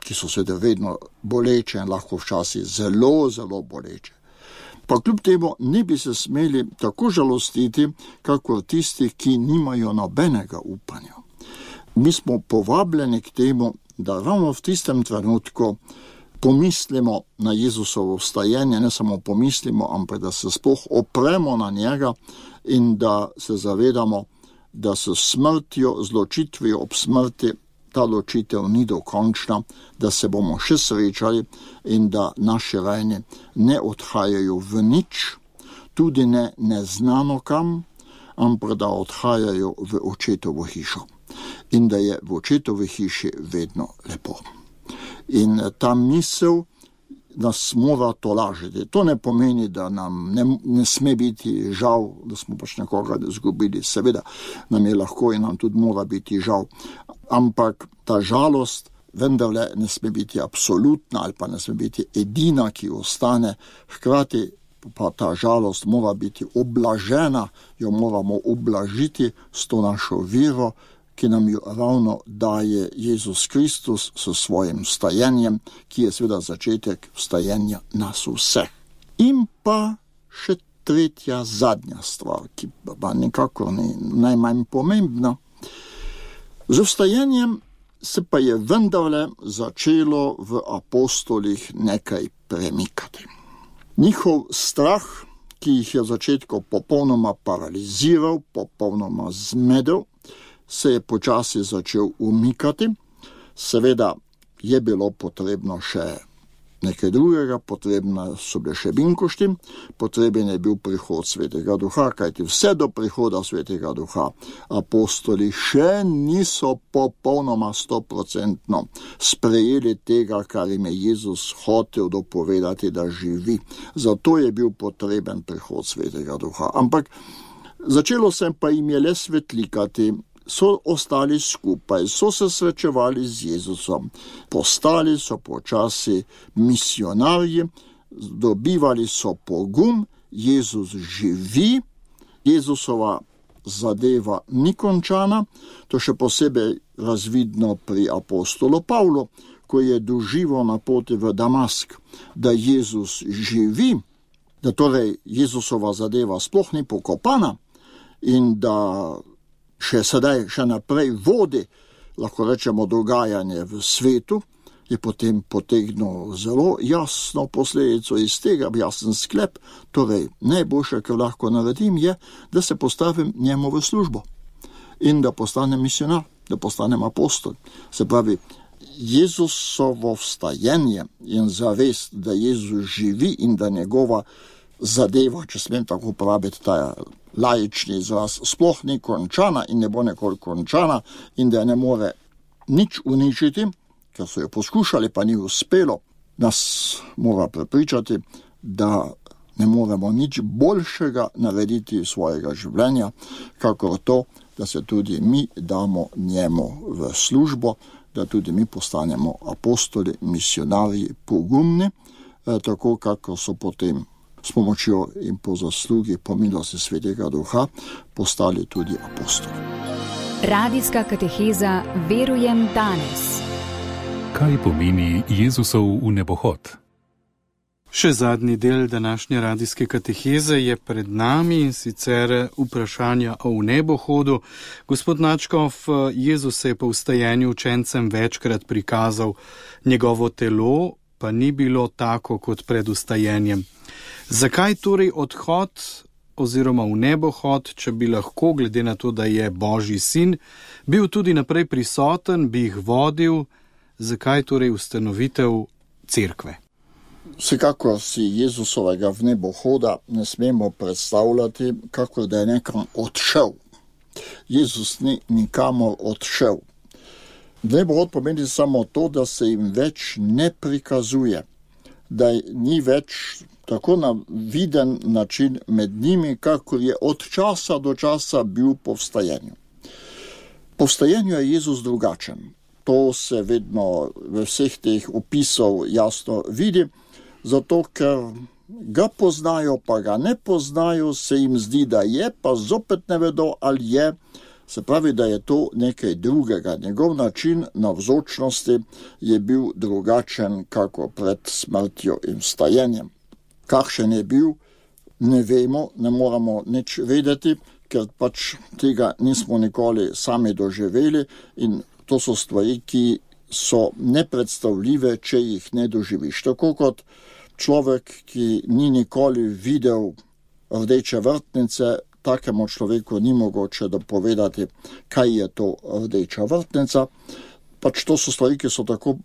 Speaker 4: ki so seveda vedno boleče in lahko včasih zelo, zelo boleče. Pa kljub temu ne bi se smeli tako žalostiti, kakor tisti, ki nimajo nobenega upanja. Mi smo povabljeni k temu, da ravno v tistem trenutku pomislimo na Jezusovo vstajenje, ne samo pomislimo, ampak da se sploh opremo na njega in da se zavedamo, da s smrtjo, z ločitvijo ob smrti, ta ločitev ni dokončna, da se bomo še srečali in da naši rajni ne odhajajo v nič, tudi ne neznano kam, ampak da odhajajo v očetovo hišo in da je v očetovi hiši vedno lepo. In ta misel nas mora tolažiti. To ne pomeni, da nam ne sme biti žal, da smo pač nekoga izgubili. Seveda nam je lahko in nam tudi mora biti žal. Ampak ta žalost vendarle ne sme biti absolutna ali pa ne sme biti edina, ki ostane. Hkrati pa ta žalost mora biti oblažena, jo moramo oblažiti s to našo vero, ki nam jo ravno daje Jezus Kristus s svojim vstajenjem, ki je seveda začetek vstajenja nas vseh. In pa še tretja, zadnja stvar, ki pa nekako ni najmanj pomembna. Z vstajenjem se pa je vendarle začelo v apostolih nekaj premikati. Njihov strah, ki jih je v začetku popolnoma paraliziral, popolnoma zmedel, se je počasi začel umikati. Seveda je bilo potrebno še nekaj drugega, potrebno so bile še binkošti, potreben je bil prihod Svetega Duha, kajti vse do prihoda Svetega Duha apostoli še niso popolnoma 100% sprejeli tega, kar jim je Jezus hotel dopovedati, da živi. Zato je bil potreben prihod Svetega Duha. Ampak začelo se pa jim je le svetlikati, so ostali skupaj, so se srečevali z Jezusom, postali so počasi misionarji, dobivali so pogum, Jezus živi, Jezusova zadeva ni končana, to še posebej razvidno pri apostolu Pavlu, ko je doživel na poti v Damask, da Jezus živi, da torej Jezusova zadeva sploh ni pokopana in da še naprej vodi, lahko rečemo, dogajanje v svetu, je potem potegnil zelo jasno posledico iz tega, jasen sklep, torej najboljše, kar lahko naredim, je, da se postavim njemu v službo in da postanem misionar, da postanem apostol. Se pravi, Jezusovo vstajenje in zavest, da Jezus živi in da njegova zadeva, če smem tako praviti, ta laični izraz, sploh ni končana in ne bo nikoli končana in da ne more nič uničiti, ker so jo poskušali, pa ni uspelo, nas mora prepričati, da ne moremo nič boljšega narediti svojega življenja, kakor to, da se tudi mi damo njemu v službo, da tudi mi postanemo apostoli, misionarji, pogumni, tako kako so potem s pomočjo in po zaslugi, po milosti Svetega Duha, postali tudi apostoli.
Speaker 1: Radijska kateheza Verujem danes.
Speaker 3: Kaj pomeni Jezusov vnebohod?
Speaker 2: Še zadnji del današnje radijske kateheze je pred nami, sicer vprašanja o nebohodu. Gospod Načkov, Jezus se je po vstajenju učencem večkrat prikazal, njegovo telo pa ni bilo tako kot pred vstajenjem. Zakaj torej odhod oziroma v nebohod, če bi lahko, glede na to, da je Božji sin, bil tudi naprej prisoten, bi jih vodil, zakaj torej ustanovitev cerkve?
Speaker 4: Vsekakor si Jezusovega vnebohoda ne smemo predstavljati, kako da je nekam odšel. Jezus ni nikamor odšel. Vnebohod pomeni samo to, da se jim več ne prikazuje, da ni več tako na viden način med njimi, kakor je od časa do časa bil po vstajenju. Po vstajenju je Jezus drugačen. To se vedno v vseh teh opisov jasno vidi, zato ker ga poznajo, pa ga ne poznajo, se jim zdi, da je, pa zopet ne vedo, ali je. Se pravi, da je to nekaj drugega. Njegov način navzočnosti je bil drugačen, kako pred smrtjo in vstajenjem. Kakšen je bil, ne vemo, ne moramo nič vedeti, ker pač tega nismo nikoli sami doživeli in to so stvari, ki so nepredstavljive, če jih ne doživiš. Tako kot človek, ki ni nikoli videl rdeče vrtnice, takemu človeku ni mogoče dopovedati, kaj je to rdeča vrtnica. Pač to so stvari, ki so tako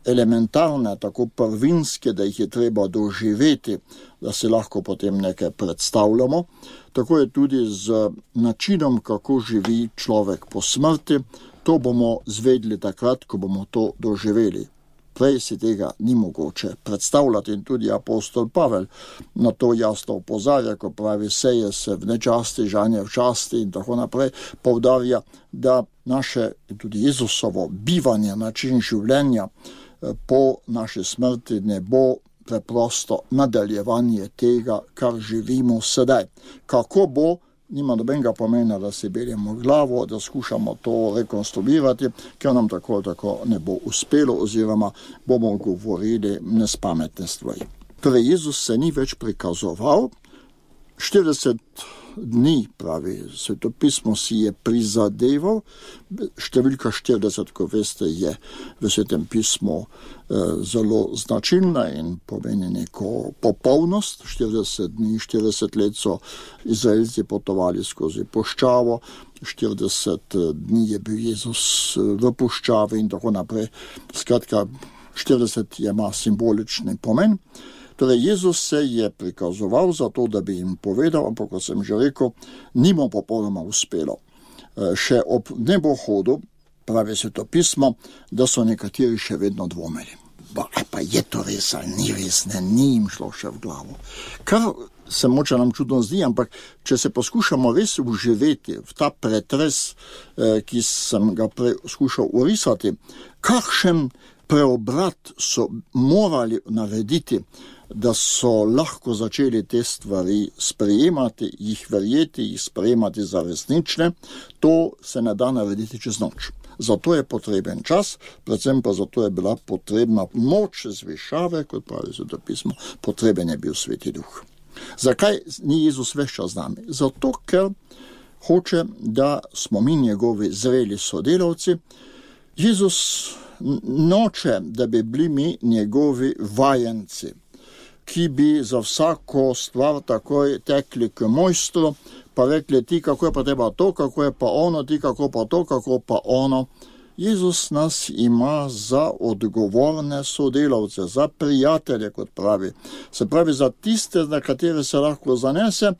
Speaker 4: elementarne, tako prvinske, da jih je treba doživeti, da si lahko potem nekaj predstavljamo. Tako je tudi z načinom, kako živi človek po smrti. To bomo zvedli takrat, ko bomo to doživeli. Prej si tega ni mogoče predstavljati in tudi apostol Pavel na to jasno opozarja, ko pravi, seje se v nečasti, žanje v časti in tako naprej, poudarja, da naše, tudi Jezusovo bivanje, način življenja po naši smrti ne bo preprosto nadaljevanje tega, kar živimo sedaj. Kako bo, nima nobenega pomena, da si beljemo glavo, da skušamo to rekonstruirati, ker nam tako ne bo uspelo oziroma bomo govorili nespametne stvari. Torej, Jezus se ni več prikazoval, 40 dni, pravi svetopismo, si je prizadeval, številka 40, ko veste, je v svetem pismu zelo značilna in pomeni neko popolnost. 40 dni, 40 let so Izraelci potovali skozi puščavo, 40 dni je bil Jezus v puščavi in tako naprej. Skratka, 40 ima simbolični pomen. Torej, Jezus se je prikazoval zato, da bi jim povedal, ampak, kot sem že rekel, ni mu popolnoma uspelo. Še ob nebohodu, pravi svetopismo, da so nekateri še vedno dvomili. Pa je to res ali ni res, ni jim šlo še v glavo. Kar se moče nam čudno zdi, ampak če se poskušamo res uživeti v ta pretres, ki sem ga prej skušal orisati, kakšen preobrat so morali narediti, da so lahko začeli te stvari sprejemati, jih verjeti, jih sprejemati za resnične, to se ne da narediti čez noč. Zato je potreben čas, predvsem pa zato je bila potrebna moč zvišave, kot pravi svetopismo, potreben je bil Sveti Duh. Zakaj ni Jezus ves čas z nami? Zato, ker hoče, da smo mi njegovi zreli sodelavci. Jezus noče, da bi bili mi njegovi vajenci, ki bi za vsako stvar takoj tekli k mojstru, pa rekli, ti kako je pa treba to, kako je pa ono, ti kako pa to, kako pa ono. Jezus nas ima za odgovorne sodelavce, za prijatelje, kot pravi. Se pravi, za tiste, na katere se lahko zanese,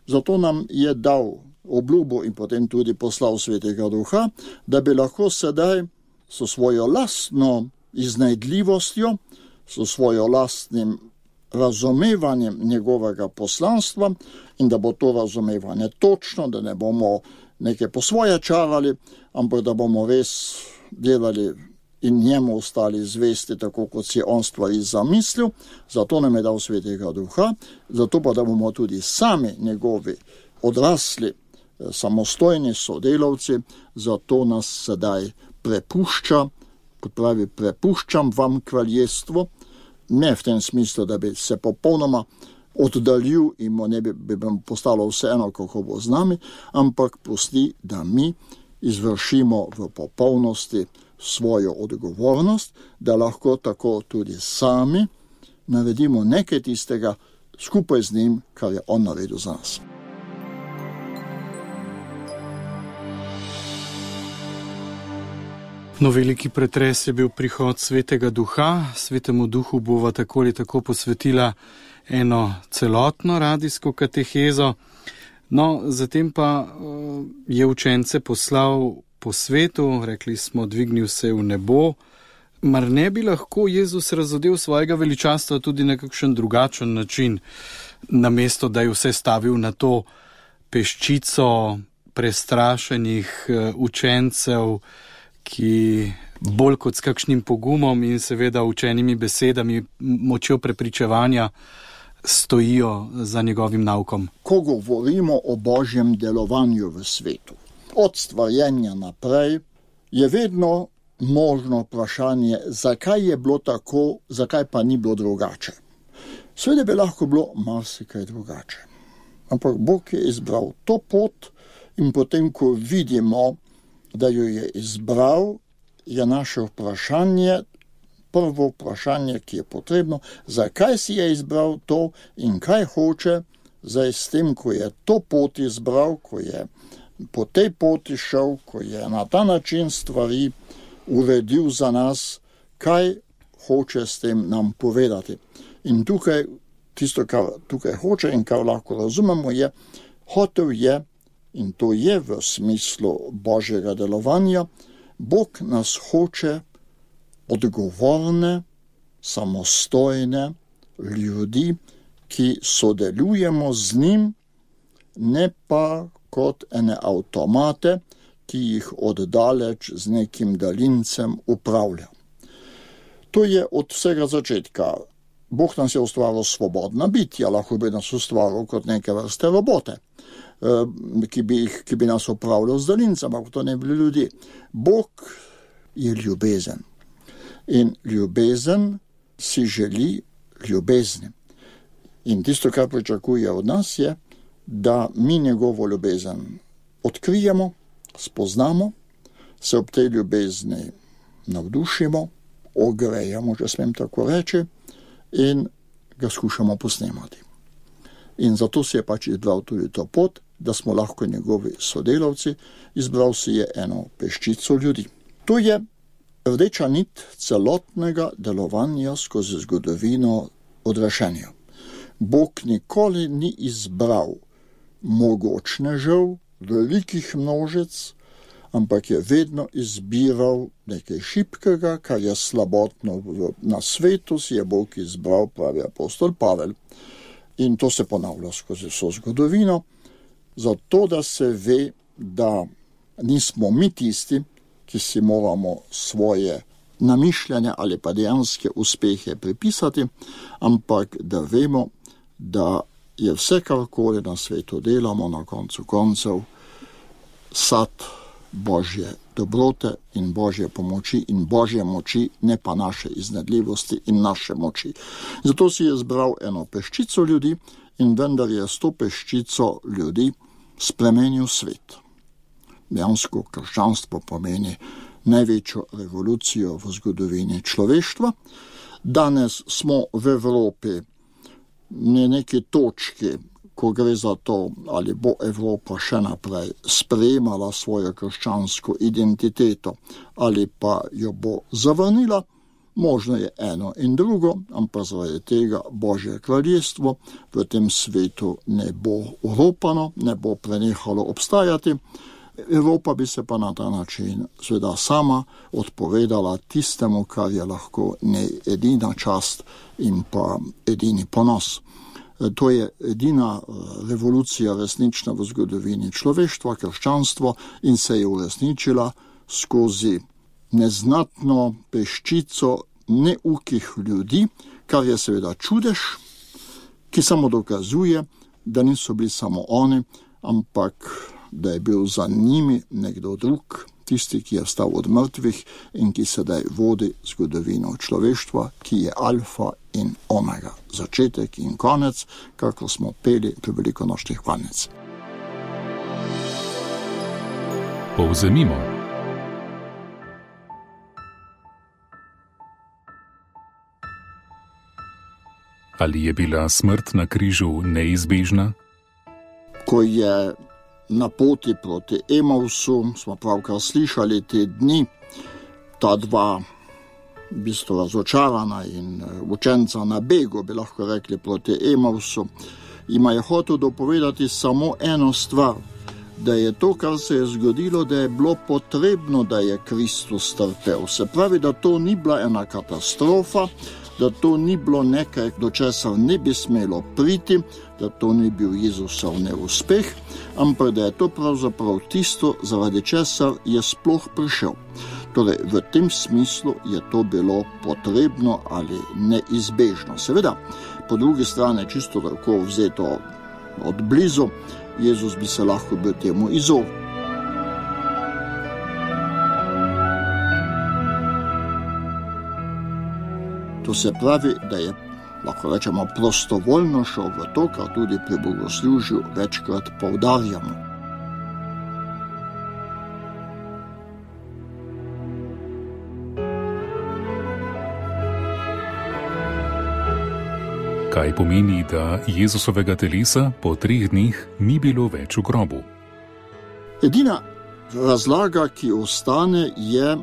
Speaker 4: zato nam je dal obljubo in potem tudi poslal Svetega Duha, da bi lahko sedaj s svojo lastno iznajdljivostjo, s svojo lastnim razumevanjem njegovega poslanstva in da bo to razumevanje točno, da ne bomo nekaj po svoje čarali, ampak da bomo res delali in njemu ostali zvesti, tako kot si je on stvari zamislil. Zato nam je dal Svetega Duha, zato pa da bomo tudi sami njegovi odrasli, samostojni sodelavci, zato nas sedaj prepušča, kot pravi, prepuščam vam kraljestvo, ne v tem smislu, da bi se popolnoma oddaljil in mu ne bi postalo vseeno, kako bo z nami, ampak pusti, da mi izvršimo v popolnosti svojo odgovornost, da lahko tako tudi sami naredimo nekaj tistega skupaj z njim, kar je on naredil za nas.
Speaker 2: No, veliki pretres je bil prihod Svetega Duha. Svetemu Duhu bova tako ali tako posvetila eno celotno radijsko katehezo. No, zatem pa je učence poslal po svetu, rekli smo, dvignil se v nebo. Mar ne bi lahko Jezus razodel svojega veličastva tudi na kakšen drugačen način, namesto da je vse stavil na to peščico prestrašenih učencev, ki bolj kot s kakšnim pogumom in seveda učenimi besedami, močjo prepričevanja stojijo za njegovim naukom.
Speaker 4: Ko govorimo o Božjem delovanju v svetu, od stvarjenja naprej, je vedno možno vprašanje, zakaj je bilo tako, zakaj pa ni bilo drugače. Seveda bi lahko bilo marsikaj drugače. Ampak Bog je izbral to pot in potem, ko vidimo, da jo je izbral, je naše vprašanje, prvo vprašanje, ki je potrebno, zakaj si je izbral to in kaj hoče zdaj s tem, ko je to pot izbral, ko je po tej poti šel, ko je na ta način stvari uredil za nas, kaj hoče s tem nam povedati. In tukaj, tisto, kar tukaj hoče in kar lahko razumemo, je, hotel je, in to je v smislu Božjega delovanja, Bog nas hoče odgovorne, samostojne ljudi, ki sodelujemo z njim, ne pa kot ene avtomate, ki jih oddaleč z nekim daljincem upravlja. To je od vsega začetka. Bog nas je ustvaril svobodna bitja, lahko bi nas ustvaril kot neke vrste robote, ki bi nas upravljal z daljincem, ampak to ne bi bili ljudje. Bog je ljubezen. In ljubezen si želi ljubezni. In tisto, kar pričakuje od nas, je, da mi njegovo ljubezen odkrijemo, spoznamo, se ob tej ljubezni navdušimo, ogrejamo, če smem tako reči, in ga skušamo posnemati. In zato si je pač izbral tudi to pot, da smo lahko njegovi sodelavci, izbral si je eno peščico ljudi. To je rdeča nit celotnega delovanja skozi zgodovino odrešenja. Bog nikoli ni izbral mogočnežev, velikih množic, ampak je vedno izbiral nekaj šibkega, kar je slabotno na svetu, si je Bog izbral, pravi apostol Pavel. In to se ponavlja skozi vso zgodovino, zato da se ve, da nismo mi tisti, ki si moramo svoje namišljanja ali pa dejanske uspehe pripisati, ampak da vemo, da je vse, karkoli na svetu delamo, na koncu koncev sad Božje dobrote in Božje pomoči in Božje moči, ne pa naše iznedljivosti in naše moči. Zato si je zbral eno peščico ljudi in vendar je s to peščico ljudi spremenil svet. Dejansko krščanstvo pomeni največjo revolucijo v zgodovini človeštva. Danes smo v Evropi na neki točki, ko gre za to, ali bo Evropa še naprej sprejemala svojo krščansko identiteto ali pa jo bo zavrnila. Možno je eno in drugo, ampak zaradi tega Božje kraljestvo v tem svetu ne bo oropano, ne bo prenehalo obstajati. Evropa bi se pa na ta način seveda sama odpovedala tistemu, kar je lahko edina čast in pa edini ponos. To je edina revolucija resnična v zgodovini človeštva, krščanstvo, in se je uresničila skozi neznatno peščico neukih ljudi, kar je seveda čudež, ki samo dokazuje, da niso bili samo oni, ampak da je bil za njimi nekdo drug, tisti, ki je vstal od mrtvih in ki sedaj vodi zgodovino človeštva, ki je alfa in omega, začetek in konec, kako smo peli pri velikonočnih hvalnic.
Speaker 3: Povzemimo. Ali je bila smrt na križu neizbežna?
Speaker 4: Ko je na poti proti Emausu, smo pravkar slišali te dni, ta dva v bistvu razočarana in učenca na begu, bi lahko rekli, proti Emausu, ima je hotel dopovedati samo eno stvar, da je to, kar se je zgodilo, da je bilo potrebno, da je Kristus trpel. Se pravi, da to ni bila ena katastrofa, da to ni bilo nekaj, do česar ne bi smelo priti, da to ni bil Jezusov neuspeh, ampak da je to pravzaprav tisto, zaradi česar je sploh prišel. Torej, v tem smislu je to bilo potrebno ali neizbežno. Seveda, po drugi strani, čisto tako vzeto od blizu, Jezus bi se lahko bil temu izognil. To se pravi, da je, lahko rečemo, prostovoljno šel v to, kar tudi pri bogoslužju večkrat poudarjamo.
Speaker 3: Kaj pomeni, da Jezusovega telesa po 3 dneh ni bilo več v grobu?
Speaker 4: Edina razlaga, ki ostane, je,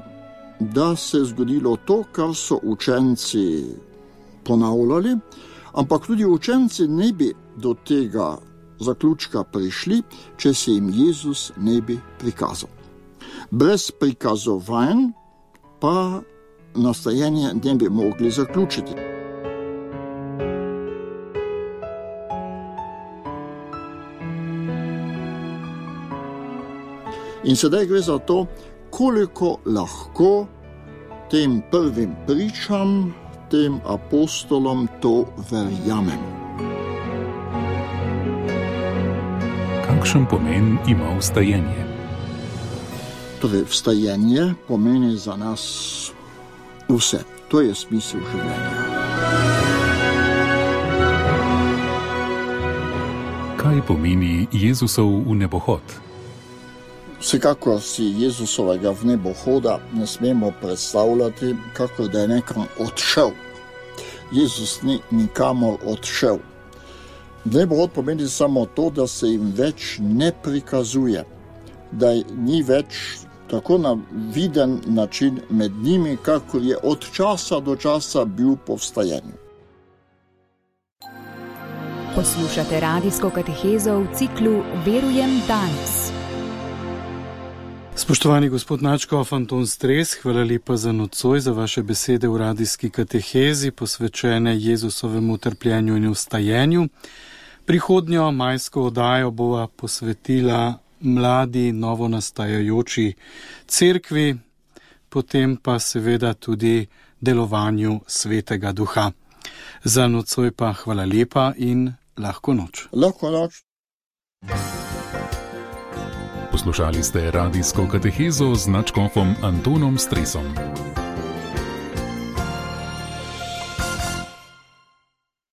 Speaker 4: da se je zgodilo to, kar so učenci ponavljali, ampak tudi učenci ne bi do tega zaključka prišli, če se jim Jezus ne bi prikazal. Brez prikazovanj pa nastajenje ne bi mogli zaključiti. In sedaj gre za to, koliko lahko tem prvim pričam, tem apostolom to verjamemo.
Speaker 3: Kakšen pomen ima vstajenje?
Speaker 4: Torej, vstajenje pomeni za nas vse. To je smisel življenja.
Speaker 3: Kaj pomeni Jezusov vnebohod?
Speaker 4: Vsekakor si Jezusovega vnebohoda ne smemo predstavljati, kako da je nekam odšel. Jezus ni nikamor odšel. Vnebohod pomeni samo to, da se jim več ne prikazuje, da ni več tako na viden način med njimi, kakor je od časa do časa bil po vstajenju.
Speaker 1: Poslušate radijsko katehezo v ciklu Verujem danes.
Speaker 2: Spoštovani gospod Načkof Anton Stres, hvala lepa za nocoj, za vaše besede v radijski katehezi, posvečene Jezusovemu trpljenju in vstajenju. Prihodnjo majsko oddajo bova posvetila mladi, novonastajajoči cerkvi, potem pa seveda tudi delovanju Svetega Duha. Za nocoj pa hvala lepa in lahko noč.
Speaker 4: Lahko noč.
Speaker 3: Poslušali ste radijsko katehezo z Načkofom Antonom Stresom.